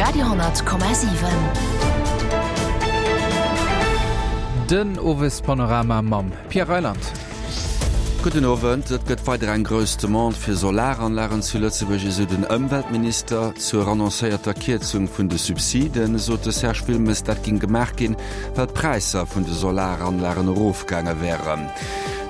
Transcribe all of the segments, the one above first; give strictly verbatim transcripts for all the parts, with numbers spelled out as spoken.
Radio honnert Komma siwen. Den Owespanorama mam Pierre Reyland. Gudden Owend. Et gëtt weider eng grouss Demande fir Solaranlagen zu Lëtzebuerg, esou den Ëmweltminister. Zur annoncéierter Kierzung vun de Subsiden sot de Serge Wilmes, dat géing gemaach ginn, well d'Präisser vun de Solaranlagen erofgaange wären.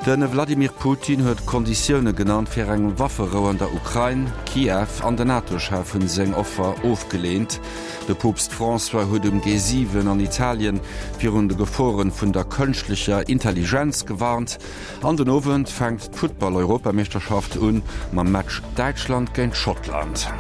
De Wladimir Putin huet Konditioune genannt fir eng Wafferou an der Ukrain. Kiew an den NATO-Chef hunn seng Offer ofgeleent. De Poopst François huet um G siwen an Italien virun de Geforen vun der kënschtlecher Intelligenz gewarnt. An den Owend fänkt d'Futtball-Europameeschterschaft un mam Match Däitschland géint Schottland.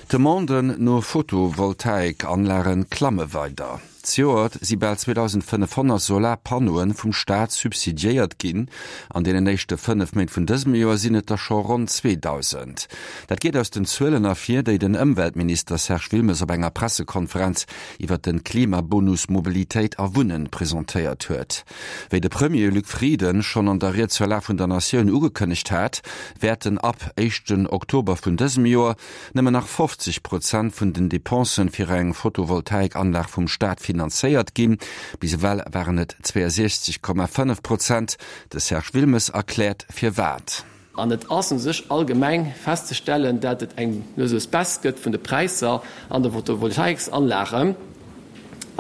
D'Demanden no Photovoltaik-Anlage klamme weider. Zejoert si bal zweedausendfënnefhonnert Solarpannoe vum Staat subsidiéiert ginn. An deenen éischte fënnef Méint vun dësem Joer sinn et der scho ronn zweedausend. Dat geet aus den Zuelen ervir, déi den Ëmweltminister Serge Wilmes op enger Pressekonferenz iwwer de Klimabonus Mobilitéit a Wunnen presentéiert huet. Wéi de Premier Luc Frieden schonn an der Ried zur Lag vun der Natioun ugekënnegt hat, wäerten ab éischten Oktober vun dësem Joer nëmmen nach fofzeg Prozent vun den Depensen fir eng Photovoltaikanlag vum Staat finanzéiert ginn. Bis ewell waren et zweeënsiechzeg Komma fënnef Prozent. De Serge Wilmes erkläert firwat. An et ass u sech allgemeng festzestellen, dat et eng lues Baisse gëtt vun de Präisser an de Photovoltaiksanlagen.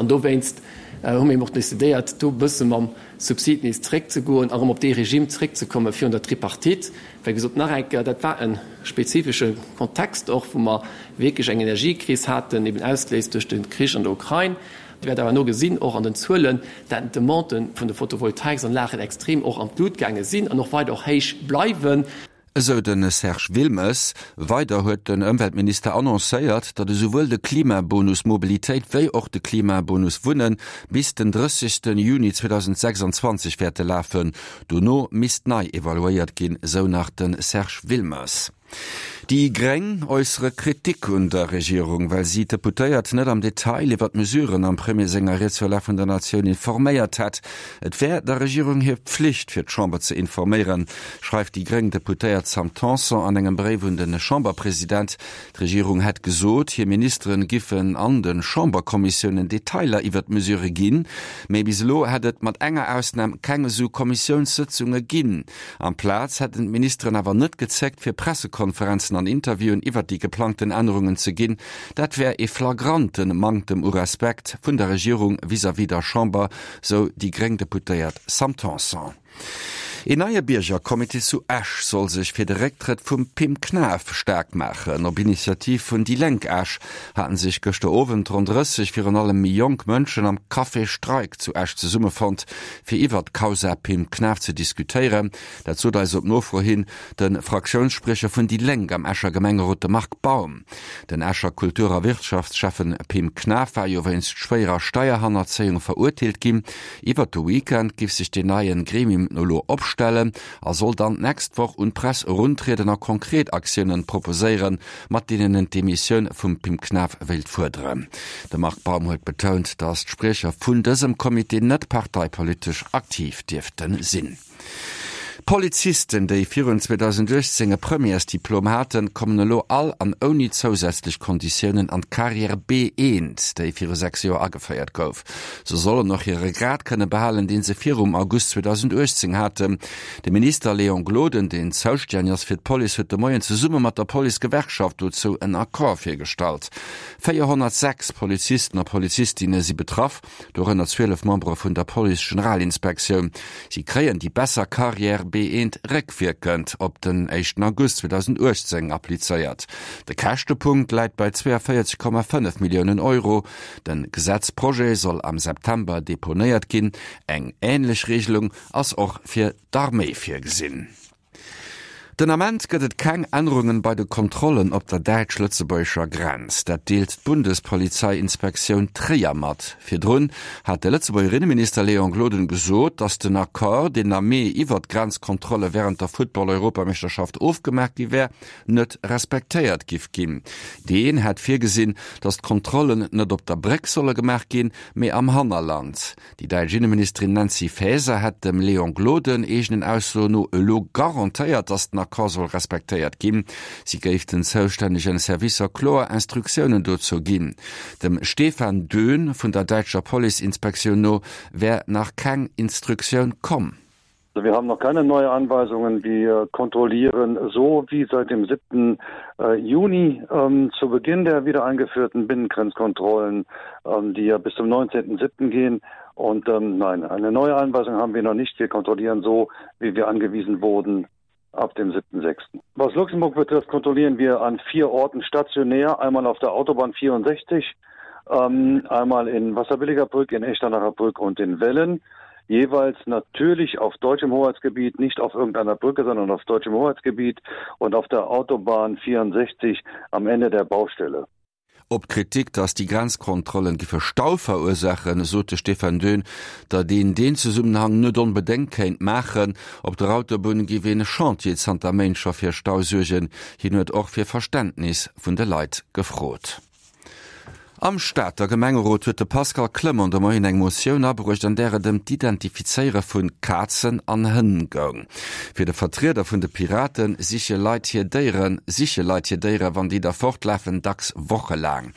An dowéinst hu mir eben och decidéiert, do e bësse mam Subsid nees zréckzegoen a erëm op dee Regime zréckzekomme virun der Tripartite. Wéi gesot, nach eng Kéier, dat war e spezifesche Kontext och, wou mer wierklech eng Energiekris haten, eben ausgeléist duerch de Krich an der Ukrain. Dir wäert awer elo gesinn, och an den Zuelen, dat d'Demande vun de Photovoltaiksanlagen extrem och an d'Lut gaange sinn an och weider och héich bleiwen. Esou de Serge Wilmes. Weider huet den Ëmweltminister annoncéiert, datt esouwuel de Klimabonus Mobilitéit wéi och de Klimabonus Wunnen bis den drëssegste Juni zweedausendsechsanzwanzeg wäerte lafen. Dono misst nei evaluéiert ginn, esou nach de Serge Wilmes. Déi Gréng äussere Kritik un der Regierung, well si d'Deputéiert net am Detail iwwer d'Mesuren am Premier senger Ried zur Lag vun der Natioun informéiert hätt. Et wär der Regierung hir Pflicht, fir d'Chamber ze informéieren, schreift déi gréng Deputéiert Sam Tanson an engem Bréif un de Chamberpresident. D'Regierung hätt gesot, hir Ministeren giffen an de Chamberkommissiounen Detailer iwwer d'Mesurë ginn, mee bis elo hätt et mat enger Ausnam keng esou Kommissiounssëtzunge ginn. Amplaz hätten d'Ministeren awer net gezéckt, fir Pressekonferenzen an Interviewen iwwert déi geplangten Ännerungen ze ginn. Dat wär ee flagrante Manktem u Respekt vun der Regierung vis-à-vis der Chamber, sou déi gréng Deputéiert Sam Tanson. Een neie Biergercomité zu Esch soll sech fir de Récktrëtt vum Pim Knaff staark maachen. Op Initiativ vun déi Lénk Esch haten sech gëschter Owend ronn drësseg, virun allem méi jonk Mënschen am Café Streik zu Esch zesummefonnt, fir iwwert d'Causa Pim Knaff ze diskutéieren. Dat sot eis op Nofro hin de Fraktiounsspriecher vun déi Lénk am Escher Gemengerot, de Marc Baum. Den Escher Kultur a Wirtschaftsschäffen Pim Knaff war jo wéinst schwéierer Steierhannerzéiung verurteelt ginn. Iwwert de Weekend giff sech deen neien Gremium elo opstellen a soll dann d'nächst Woch un d'Press eruntrieden a konkret Aktiounen proposéieren, mat deenen en d'Demissioun vum Pim Knaff wéilt fuerderen. De Marc Baum huet betount, datt d'Spriecher vun dësem Comité net parteipolitesch aktiv dierfte sinn. Polizisten, déi virun zweedausenduechtzéng e Premièresdiplom haten, kommen elo all an ouni zousätzlech Konditiounen an d'Carrière B eent, déi viru sechs Joer ageféiert gouf. Se sollen och hire Grad kënne behalen, dee se virum August zweedausenduechtzéng haten. De Minister Léon Gloden, deen zoustänneg ass fir d'Police, huet de Moien zesumme mat der Policegewerkschaft dozou en Accord virgestallt. véierhonnertsechs Polizisten a Polizistinne si betraff, dorënner zwielef Membere vun der Police-Generalinspektioun. Si kréien déi besser Carrière B eent réckwierkend op den éischten August zweedausenduechtzéng applizéiert. De Käschtepunkt läit bei zweeënvéierzeg Komma fënnef Milliounen Euro. De Gesetzprojet soll am September deponéiert ginn. Eng änlech Regelung ass och fir d'Arméi virgesinn. Den Ament gëtt et keng Ännerungen bei de Kontrollen op der däitsch-lëtzebuergescher Grenz. Dat deelt d'Bundespolizeiinspektioun Tréier mat. Virdrun hat de Lëtzebuerger Inneminister Léon Gloden gesot, datt den Accord, deen am Mee iwwert d'Grenzkontrolle wärend der Football-Europameeschterschaft ofgemaach gi wär, net respektéiert giff ginn. Deen hätt virgesinn, datt d'Kontrollen net op der Bréck solle gemaach ginn, mee am Hannerland. Déi däitsch Inneministerin Nancy Faeser hätt dem Léon Gloden eegenen Aussoen no elo garantéiert, datt den Schengen-Accord soll respektéiert ginn. Si géif den zoustännegen Servicer kloer Instruktiounen dozou ginn. Dem Stefan Döhn vun der däitscher Policeinspektioun no wär nach keng Instruktioun komm. Wir haben noch keine neue Anweisungen. Wir kontrollieren so wie seit dem siebten Äh, Juni ähm, zu Beginn der wieder eingeführten Binnengrenzkontrollen, ähm, die ja bis zum neunzehnten siebten gehen. Und, ähm, nein, eine neue Anweisung haben wir noch nicht. Wir kontrollieren so, wie wir angewiesen wurden ab dem siebten sechsten. Was Luxemburg betrifft, kontrollieren wir an vier Orten stationär, einmal auf der Autobahn vierundsechzig, ähm, einmal in Wasserbilligerbrück, in Echternacherbrück und in Wellen. Jeweils natürlich auf deutschem Hoheitsgebiet, nicht auf irgendeiner Brücke, sondern auf deutschem Hoheitsgebiet und auf der Autobahn vierundsechzig am Ende der Baustelle. Op d'Kritik, datt déi Grenzkontrollen giffe Stau verursaachen, sot de Stefan Döhn, datt een deen Zesummenhang net onbedéngt kéint maachen. Op der Autobunn géif een Chantier zanter Méint scho fir Stau suergen. Hien huet och fir Verständnis vun de Leit gefrot. Am Stater Gemengerot huet de Pascal Clement de Moien eng Motioun abruecht, an där et ëm d'Identifizéiere vu Kazen an Hënn goung. Fir de Vertrieder vun de Piraten siche Leit hir Déieren, siche Leit hir Déiere, wann déi da fortlafen, dacks wochelaang.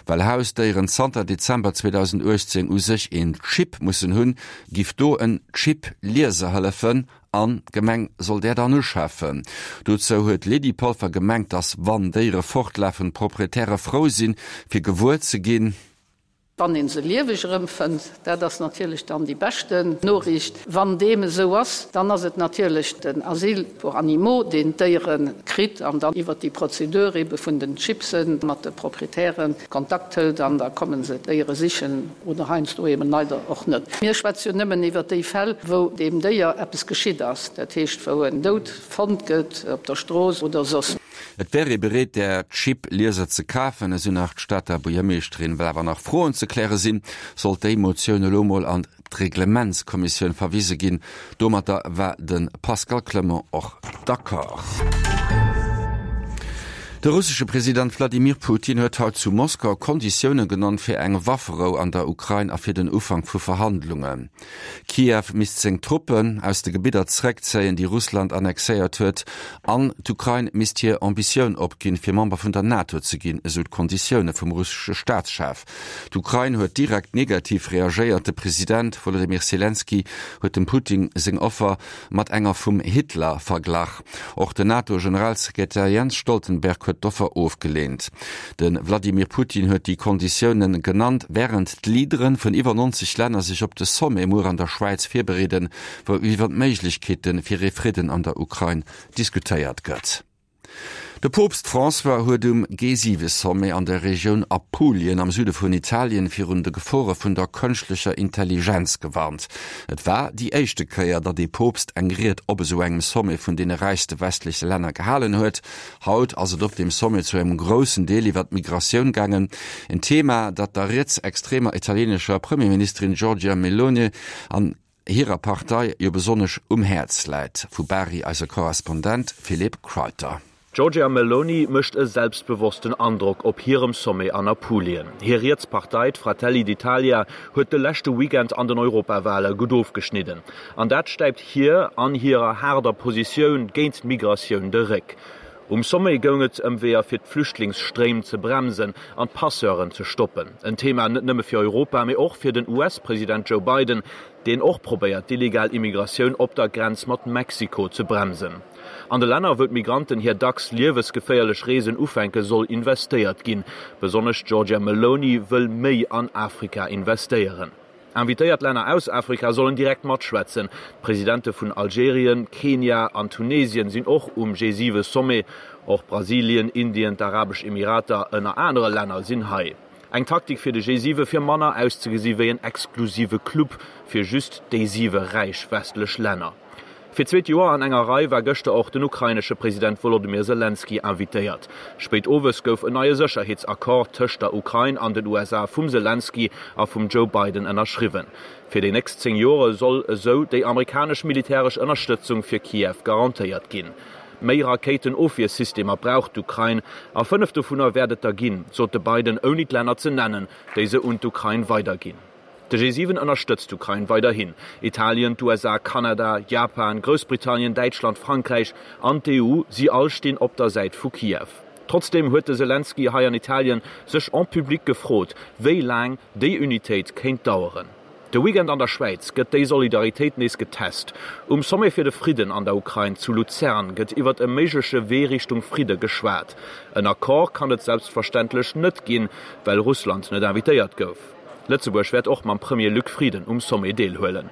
Well Hausdéieren zanter Dezember zweedausenduechtzéng u sech een Chip mussen hunn, giff do en Chip-Lieser hëllefen. An d'Gemeng soll där dann uschafen. Dozou huet d'Lydie Polfer gemengt, datt wann Déiere fortlafen, d'Proprietäre frou sinn, fir gewuer ze ginn. Wann ee se lieweg erëmfënnt, dat ass natierlech dann déi beschten Noriicht. Wann deem esou ass, dann ass et natierlech den Asyl pour animaux, deen d'Déiere kritt an dann iwwert déi Prozedur ebe vun den Chipsen mat de Proprietären Kontakt hëlt an da komme se d'Déiere sichen oder heiansdo eben leider och net. Mir schwätze jo nëmmen iwwert déi Fäll, wou deem Déier eppes geschitt ass, dat heescht wou en dout fonnt gëtt op der Strooss oder soss. Et wär ee bereet, där Chip-Lieser ze kafen, esou nach d'Stater Buergermeeschterin. Well awer nach Froen ze kläre sinn, sollt déi Motioun elo mol an d'Reglementskommissioun verwise ginn. Domatter war de Pascal Clement och d'accord. De russesche President Wladimir Putin huet haut zu Moskau Konditioune genannt fir eng Wafferou an der Ukrain a fir den Ufank vu Verhandlungen. Kiew misst seng Truppen aus de Gebidder zeréckzéien, déi Russland annexéiert huet, an d'Ukrain misst hir Ambitioun opginn, fir Member vun der NATO ze ginn, esou d'Konditioune vum russesche Staatschef. D'Ukrain huet direkt negativ reagéiert. De President Wolodymyr Selenskyj huet dem Putin seng Offer mat enger vum Hitler verglach. Och den NATO-Generalsekretär Jens Stoltenberg huet d'Offer ofgeleent. De Wladimir Putin huet déi Konditiounen genannt, wärend d'Leadere vun iwwer neunzeg Länner sech op de Sommet muer an der Schwäiz virbereeden, wou iwwer d'Méiglechkeete fir ee Fridden an der Ukrain diskutéiert gëtt. De Poopst François huet um G siwe Sommet an der Regioun Apulien am Süde vun Italien virun de Gefore vun der kënschtlecher Intelligenz gewarnt. Et war déi éischte Kéier, datt ee Poopst eng Ried op esou engem Sommet vun deene räichste westleche Länner gehalen huet. Haut ass et op deem Sommet zu engem groussen Deel iwwer d'Migratioun gaangen, en Thema, dat der rietsextremer italienescher Premierministerin Giorgia Meloni an hirer Partei jo besonnesch um Häerz läit. Vu Bari eise Korrespondent Philippe Crowther. D'Giorgia Meloni mécht e selbstbewossten Androck op hirem Sommet an Apulien. Hir riets Partei, d'Fratelli d'Italia, huet de leschte Weekend an den Europawale gutt ofgeschnidden. An dat stäipt hir an hirer haarder Positioun géint d'Migratioun de Réck. Um Sommet goung et ëm Weeër fir d'Flüchtlingsstréim ze bremsen an d'Passeuren ze stoppen. En Thema net nëmme fir Europa, mee och fir den U S-President Joe Biden, deen och probéiert d'illegal Immigratioun op der Grenz mat Mexiko ze bremsen. An de Länner, wou d'Migranten hir dacks liewesgeféierlech Reesen ufänken, soll investéiert ginn. Besonnesch d'Giorgia Meloni wëll méi an Afrika investéieren. Invitéiert Länner aus Afrika sollen direkt matschwätzen. D'Presidente vun Algerien, Kenia an Tunesien sinn och um G siwe Sommet. Och Brasilien, Indien, d'Arabesch Emirater ënner anere Länner sinn hei. Eng Taktik fir de G siwe fir manner auszegesi wéi en exklusive Club fir just déi siwe räich westlech Länner. Fir d'zweet Joer an enger Rei war gëschter och den ukrainesche President Wolodymyr Selenskyj invitéiert. Spéit owes gouf en neie Sécherheetsaccord tëscht der Ukrain an den U S A vum Selenskyj a vum Joe Biden ënnerschriwwen. Fir déi nächst zéng Jore soll esou déi amerikanesch militäresch Ënnerstëtzung fir Kiew garantéiert ginn. Méi Rakéitenofwiersystemer brauch d'Ukrain, a fënnef dovunner wäert et der ginn, sot de Biden, ouni d'Länner ze nennen, déi se un d'Ukrain weiderginn. De G siwen ënnerstëtzt d'Ukrain weiderhin. Italien, d'USA, Kanada, Japan, Groussbritannien, Däitschland, Frankräich an d'EU, si all stinn op der Säit vu Kiew. Trotzdeem huet de Selenskyj hei an Italien sech en public gefrot, wéi laang déi Unitéit kéint daueren. De Weekend an der Schwäiz gëtt déi Solidaritéit nees getest. Um Sommet fir de Fridden an der Ukrain zu Luzern gëtt iwwert e méigleche Wee Richtung Fridde geschwat. En Accord kann et selbstverständlech net ginn, well Russland net invitéiert gouf. Lëtzebuerg wäert och mam Premier Luc Frieden um Sommet deelhuelen.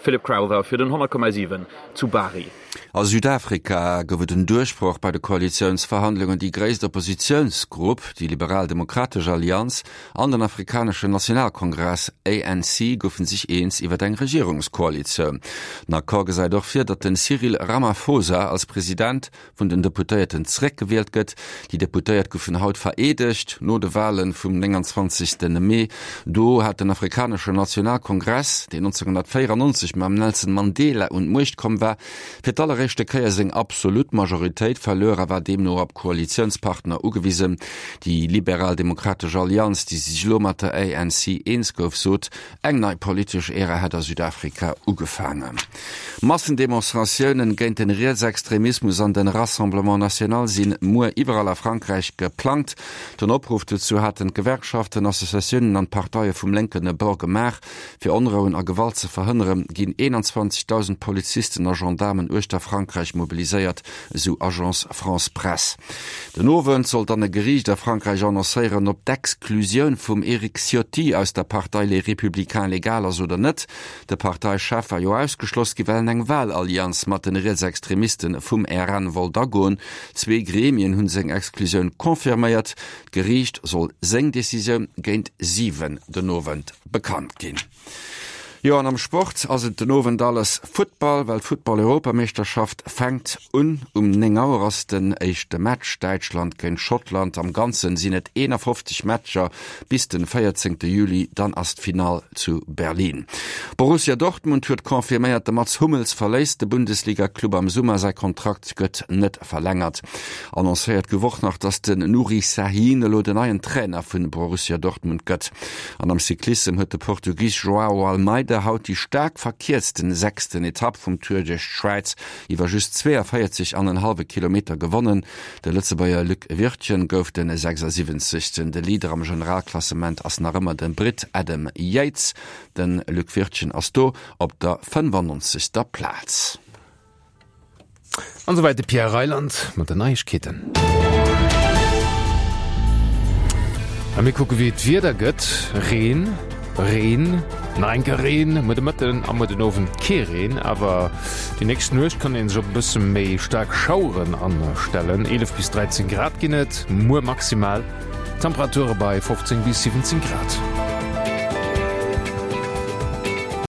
Philip Crowther fir den honnert Komma siwen zu Bari. A Südafrika gouf et en Duerchbroch bei de Koalitiounsverhandlungen. Déi gréisst Oppositiounsgrupp, déi Liberal-Demokratesch Allianz, an den Afrikaneschen Nationalkongress, A N C, goufe sech eens iwwer eng Regierungskoalitioun. Den Accord gesäit och vir, datt den Cyril Ramaphosa als President vun den Deputéierten zeréckgewielt gëtt. Déi Deputéiert goufen haut vereedegt no de Wale vum nénganzwanzegste Mee. Do hat den Afrikaneschen Nationalkongress, deen nonzénghonnertvéierannonzeg mam Nelson Mandela un d'Muecht komm war, fir d'alleréischte Kéier seng absolut Majoritéit verluer a war deemno op Koalitiounspartner ugewisen. Déi Liberal-Demokratesch Allianz, déi sech elo mat der A N C eens gouf, sot, eng nei politesch Ära hätt a Südafrika ugefaangen. Massendemonstratiounen géint den Rietsextremismus an den Rassemblement National sinn muer iwwerall a Frankräich geplangt. Den Opruff dozou haten d'Gewerkschaften, Associatiounen an d'Parteie vum lénken Bord gemaach. Fir Onrouen a Gewalt ze verhënneren, ginn eenanzwanzegdausend Polizisten a Gendaarmen uechter Frankräich mobiliséiert, esou Agence France Presse. Den Owend soll dann e Geriicht a Frankräich annoncéieren, ob d'Exklusioun vum Eric Ciotti aus der Partei Les Républicains legal ass oder net. De Parteichef war jo ausgeschloss gi well en eng Wahlallianz mat den Rietsextremisten vum R N wollt agoen. Zwee Gremien hunn seng Exklusioun confirméiert. D'Geriicht soll seng Decisioun géint siwen den Owend bekannt ginn. Jo, an am Sport ass et den Owend alles Futtball, well d'Futtball-Europameeschterschaft fänkt un. Um néng Auer ass den éischte Match, Däitschland géint Schottland. Am Ganzen sinn et eenafofzeg Matcher bis den véierzéngte Juli, dann ass d'Finall zu Berlin. Borussia Dortmund huet confirméiert, de Mats Hummels verléisst de Bundesliga-Club am Summer, säi Kontrakt gëtt net verlängert. Annoncéiert gouf och nach, dass den Nuri Sahin elo den neien Trainer vun Borussia Dortmund gëtt. An am Cyclissem huet de Portugis Joao Almeida haut déi staark verkierzten sechsten Etapp vum Tour duerch d'Schwäiz iwwer just zweeënvéierzeg an en hallwe Kilometer gewonnen. De Lëtzebuerger Luc Wirtgen gouf den sechsasiwwenzegsten. De Leader am Generalklassement ass nach ëmmer de Britt Adam Yates. De Luc Wirtgen ass do op der fënnefannonzegster Plaz. An esouwäit de Pierre Reyland mat den Neiegkeeten. A mir kucke wéi d'Wieder gëtt. Reen, Reen, nach eng Kéier Reen, muer de Mëtten a muer den Owend kee Reen, awer déi nächst Nuecht kann ee sech op e bësse méi staark Schaueren astellen. eelef bis dräizéng Grad ginn et muer maximal, Temperature bei fofzéng bis siwwenzéng Grad.